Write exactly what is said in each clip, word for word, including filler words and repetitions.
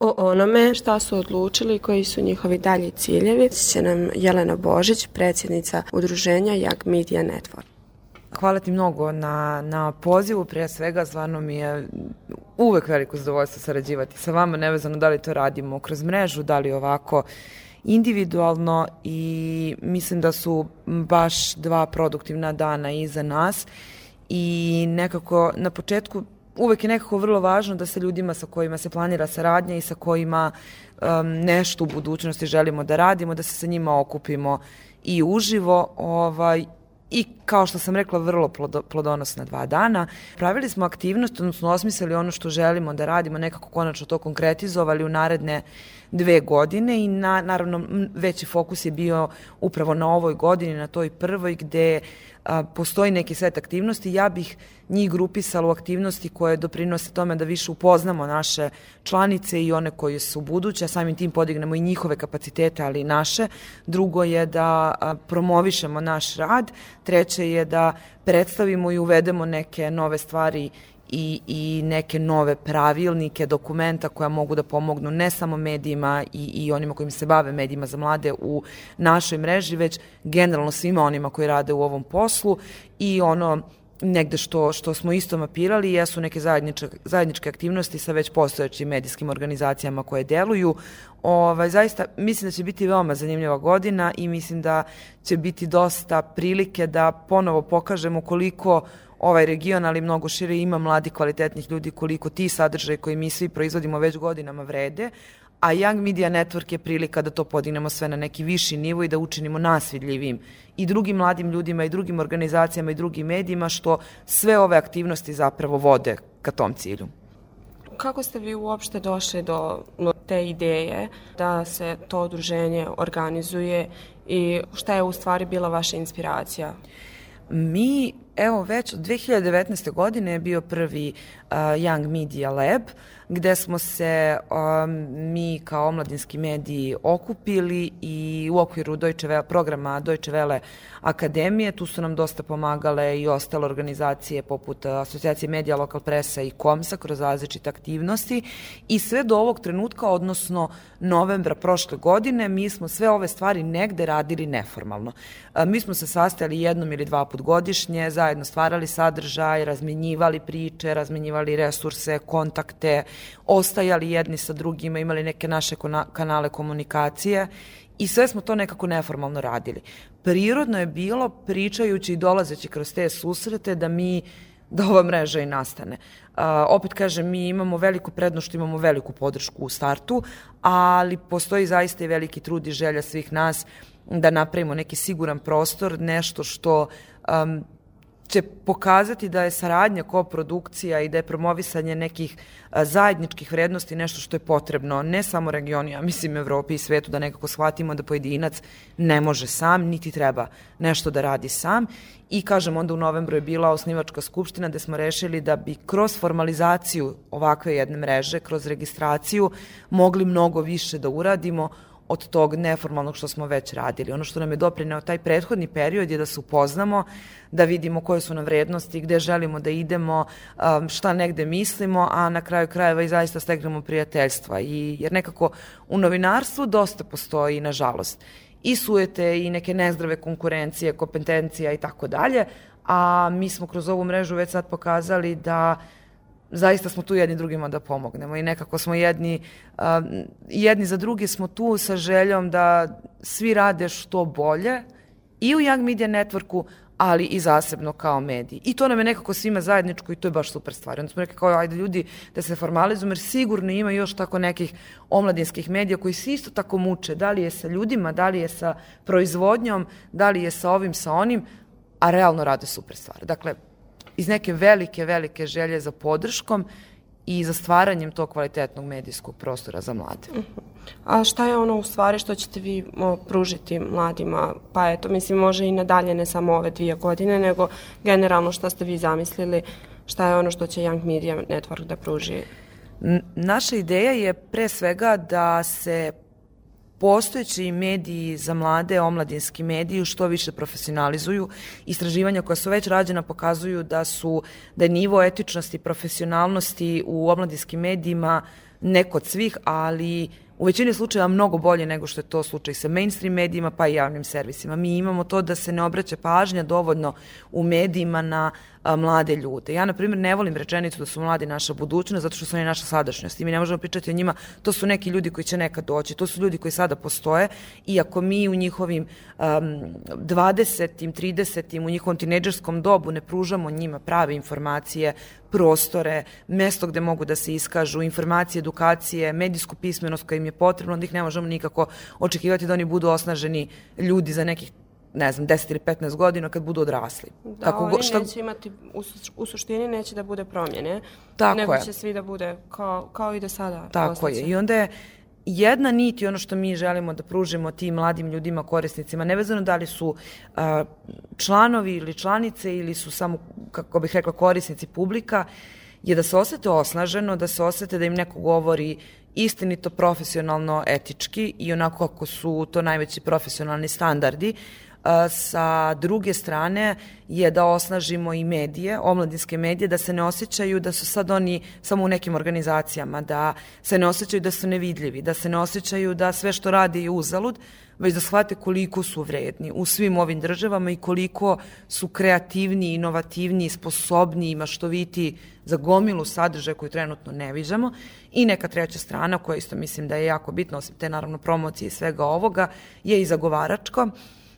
O onome šta su odlučili i koji su njihovi dalji ciljevi će nam Jelena Božić, predsjednica udruženja Young Media Network. Hvala ti mnogo na, na pozivu, prije svega stvarno mi je uvek veliko zadovoljstvo sarađivati sa vama, nevezano da li to radimo kroz mrežu, da li ovako individualno, i mislim da su baš dva produktivna dana iza nas i nekako na početku uvek je nekako vrlo važno da se ljudima sa kojima se planira saradnja i sa kojima um, nešto u budućnosti želimo da radimo, da se sa njima okupimo i uživo, ovaj, i kao što sam rekla, vrlo plodonosna dva dana. Pravili smo aktivnost, odnosno osmislili ono što želimo da radimo, nekako konačno to konkretizovali u naredne dve godine i na, naravno veći fokus je bio upravo na ovoj godini, na toj prvoj gde a, postoji neki set aktivnosti. Ja bih njih grupisala u aktivnosti koje doprinose tome da više upoznamo naše članice i one koje su buduće, a samim tim podignemo i njihove kapacitete, ali i naše. Drugo je da a, promovišemo naš rad. Treće je da predstavimo i uvedemo neke nove stvari i, i neke nove pravilnike, dokumenta koja mogu da pomognu ne samo medijima i, i onima kojim se bave medijima za mlade u našoj mreži, već generalno svima onima koji rade u ovom poslu. I ono negde što, što smo isto mapirali jesu neke zajedničke, zajedničke aktivnosti sa već postojećim medijskim organizacijama koje deluju. Ovaj, zaista mislim da će biti veoma zanimljiva godina i mislim da će biti dosta prilike da ponovo pokažemo koliko ovaj region, ali mnogo šire, ima mladi kvalitetnih ljudi, koliko ti sadržaje koji mi svi proizvodimo već godinama vrede, a Young Media Network je prilika da to podignemo sve na neki viši nivo i da učinimo nas vidljivim i drugim mladim ljudima i drugim organizacijama i drugim medijima, što sve ove aktivnosti zapravo vode ka tom cilju. Kako ste vi uopšte došli do te ideje da se to udruženje organizuje i šta je u stvari bila vaša inspiracija? Mi, evo, već od dve hiljade devetnaeste. godine je bio prvi uh, Young Media Lab, gde smo se um, mi kao omladinski mediji okupili i u okviru Deutsche Welle, programa Deutsche Welle Akademije, tu su nam dosta pomagale i ostale organizacije poput Asocijacije medija, Lokal presa i Komsa kroz različite aktivnosti, i sve do ovog trenutka, odnosno novembra prošle godine, mi smo sve ove stvari negde radili neformalno. Uh, mi smo se sastajali jednom ili dva put godišnje, zajedno stvarali sadržaj, razmenjivali priče, razmenjivali resurse, kontakte, ostajali jedni sa drugima, imali neke naše kanale komunikacije i sve smo to nekako neformalno radili. Prirodno je bilo, pričajući i dolazeći kroz te susrete, da mi da ova mreža i nastane. Uh, opet kažem, mi imamo veliku prednost što imamo veliku podršku u startu, ali postoji zaista i veliki trud i želja svih nas da napravimo neki siguran prostor, nešto što um, će pokazati da je saradnja, koprodukcija i da je promovisanje nekih a, zajedničkih vrednosti nešto što je potrebno ne samo regionu, ja mislim Evropi i svetu, da nekako shvatimo da pojedinac ne može sam, niti treba nešto da radi sam. I kažem, onda u novembru je bila osnivačka skupština gde smo rešili da bi kroz formalizaciju ovakve jedne mreže, kroz registraciju, mogli mnogo više da uradimo od tog neformalnog što smo već radili. Ono što nam je doprineo taj prethodni period je da se upoznamo, da vidimo koje su nam vrednosti, gde želimo da idemo, šta negde mislimo, a na kraju krajeva i zaista stegnemo prijateljstva. I, jer nekako u novinarstvu dosta postoji, nažalost, i sujete i neke nezdrave konkurencije, kompetencija i tako dalje, a mi smo kroz ovu mrežu već sad pokazali da zaista smo tu jedni drugima da pomognemo i nekako smo jedni, uh, jedni za drugi smo tu sa željom da svi rade što bolje i u Young Media Networku, ali i zasebno kao mediji. I to nam je nekako svima zajedničko i to je baš super stvar. Onda smo rekli kao, ajde ljudi da se formalizujemo, jer sigurno ima još tako nekih omladinskih medija koji se isto tako muče, da li je sa ljudima, da li je sa proizvodnjom, da li je sa ovim, sa onim, a realno rade super stvar. Dakle, iz neke velike, velike želje za podrškom i za stvaranjem tog kvalitetnog medijskog prostora za mlade. Uh-huh. A šta je ono u stvari što ćete vi o, pružiti mladima? Pa eto, mislim, može i nadalje, ne samo ove dvije godine, nego generalno šta ste vi zamislili, šta je ono što će Young Media Network da pruži? N- naša ideja je pre svega da se postojeći mediji za mlade, omladinski mediji, što više profesionalizuju. Istraživanja koja su već rađena pokazuju da su da je nivo etičnosti i profesionalnosti u omladinskim medijima ne kod svih, ali u većini slučajeva mnogo bolje nego što je to slučaj sa mainstream medijima pa i javnim servisima. Mi imamo to da se ne obraća pažnja dovoljno u medijima na a, mlade ljude. Ja, na primjer, ne volim rečenicu da su mladi naša budućnost zato što su oni naša sadašnjost i mi ne možemo pričati o njima. To su neki ljudi koji će nekad doći, to su ljudi koji sada postoje i ako mi u njihovim um, dvadesetim, tridesetim, u njihovom tinejdžerskom dobu ne pružamo njima prave informacije, prostore, mesto gde mogu da se iskažu, informacije, edukacije, medijsku pismenost koja im je potrebno, onda ih ne možemo nikako očekivati da oni budu osnaženi ljudi za nekih, ne znam, deset ili petnaest godina kad budu odrasli. Da, Kako, oni šta... neće imati, u, u suštini neće da bude promjene, Tako nego je. će svi da bude kao, kao i do sada. Tako ostaće. je. I onda je jedna nit i ono što mi želimo da pružimo tim mladim ljudima, korisnicima, nevezano da li su uh, članovi ili članice ili su samo, kako bih rekla, korisnici publika, je da se osete osnaženo, da se osete da im neko govori istinito, profesionalno, etički i onako kako su to najveći profesionalni standardi. Sa druge strane je da osnažimo i medije, omladinske medije, da se ne osjećaju da su sad oni samo u nekim organizacijama, da se ne osjećaju da su nevidljivi, da se ne osjećaju da sve što rade je uzalud, već da shvate koliko su vredni u svim ovim državama i koliko su kreativni, inovativni, sposobni i maštoviti za gomilu sadržaja koju trenutno ne viđamo. I neka treća strana, koja isto mislim da je jako bitna, osim te naravno promocije i svega ovoga, je i zagovaračka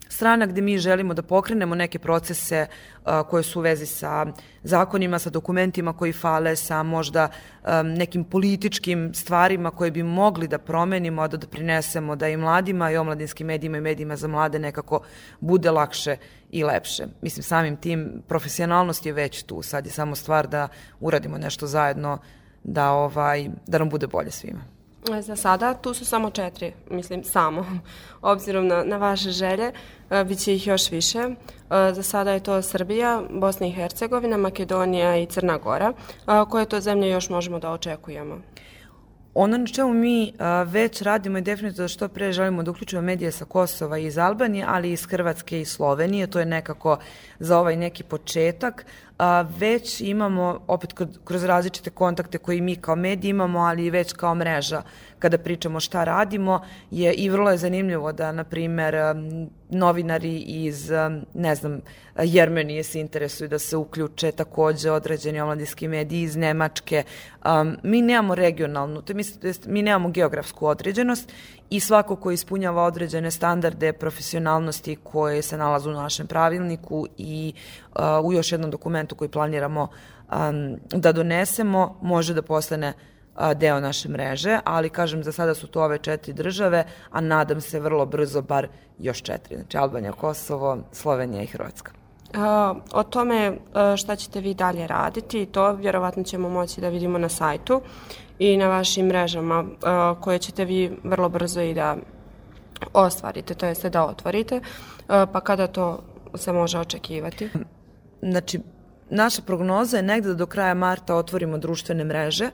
strana gde mi želimo da pokrenemo neke procese uh, koje su u vezi sa zakonima, sa dokumentima koji fale, sa možda um, nekim političkim stvarima koje bi mogli da promenimo, da doprinesemo da i mladima i omladinskim medijima i medijima za mlade nekako bude lakše i lepše. Mislim, samim tim profesionalnost je već tu, sad je samo stvar da uradimo nešto zajedno da, ovaj, da nam bude bolje svima. Za sada tu su samo četiri, mislim samo, obzirom na, na vaše želje, bit će ih još više. Za sada je to Srbija, Bosna i Hercegovina, Makedonija i Crna Gora. Koje to zemlje još možemo da očekujemo? Ono na čemu mi a, već radimo je definitivno da što pre želimo da uključimo medije sa Kosova i iz Albanije, ali i iz Hrvatske i Slovenije. To je nekako za ovaj neki početak. A, već imamo, opet kroz različite kontakte koje mi kao mediji imamo, ali i već kao mreža, kada pričamo šta radimo, je i vrlo je zanimljivo da, na primer, novinari iz, ne znam, Jermenije se interesuju da se uključe, takođe određeni omladinski mediji iz Nemačke. Um, mi nemamo regionalnu, to je, mi nemamo geografsku određenost i svako ko ispunjava određene standarde profesionalnosti koje se nalaze u našem pravilniku i uh, u još jednom dokumentu koji planiramo um, da donesemo, može da postane deo naše mreže, ali kažem za sada su to ove četiri države, a nadam se vrlo brzo bar još četiri, znači Albanija, Kosovo, Slovenija i Hrvatska. Uh, o tome uh, šta ćete vi dalje raditi, to vjerovatno ćemo moći da vidimo na sajtu i na vašim mrežama uh, koje ćete vi vrlo brzo i da ostvarite, to jeste da otvorite, uh, pa kada to se može očekivati? Znači, naša prognoza je negde da do kraja marta otvorimo društvene mreže,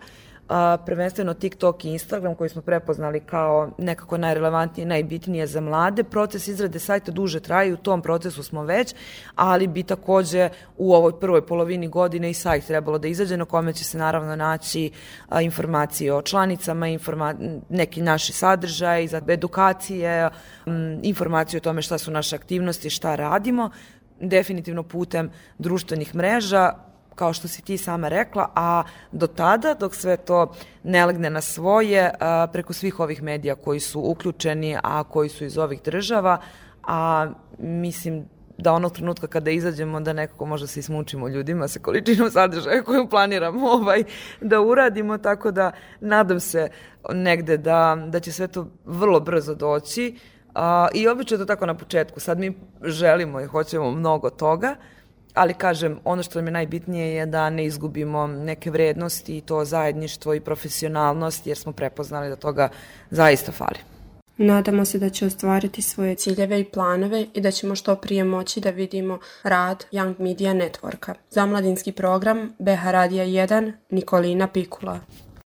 a, prvenstveno TikTok i Instagram koji smo prepoznali kao nekako najrelevantnije i najbitnije za mlade. Proces izrade sajta duže traje i u tom procesu smo već, ali bi takođe u ovoj prvoj polovini godine i sajt trebalo da izađe na kome će se naravno naći a, informacije o članicama, informa neki naši sadržaj, za edukacije, m, informacije o tome šta su naše aktivnosti, šta radimo, definitivno putem društvenih mreža, kao što si ti sama rekla, a do tada, dok sve to ne legne na svoje, preko svih ovih medija koji su uključeni, a koji su iz ovih država, a mislim da onog trenutka kada izađemo da nekako možda se ismučimo ljudima sa količinom sadržaja koju planiramo ovaj, da uradimo, tako da nadam se negde da, da će sve to vrlo brzo doći. A, I obično je to tako na početku. Sad mi želimo i hoćemo mnogo toga, ali kažem, ono što nam je najbitnije je da ne izgubimo neke vrednosti i to zajedništvo i profesionalnost, jer smo prepoznali da toga zaista fali. Nadamo se da će ostvariti svoje ciljeve i planove i da ćemo što prije moći da vidimo rad Young Media Networka. Za mladinski program B H Radija jedan, Nikolina Pikula.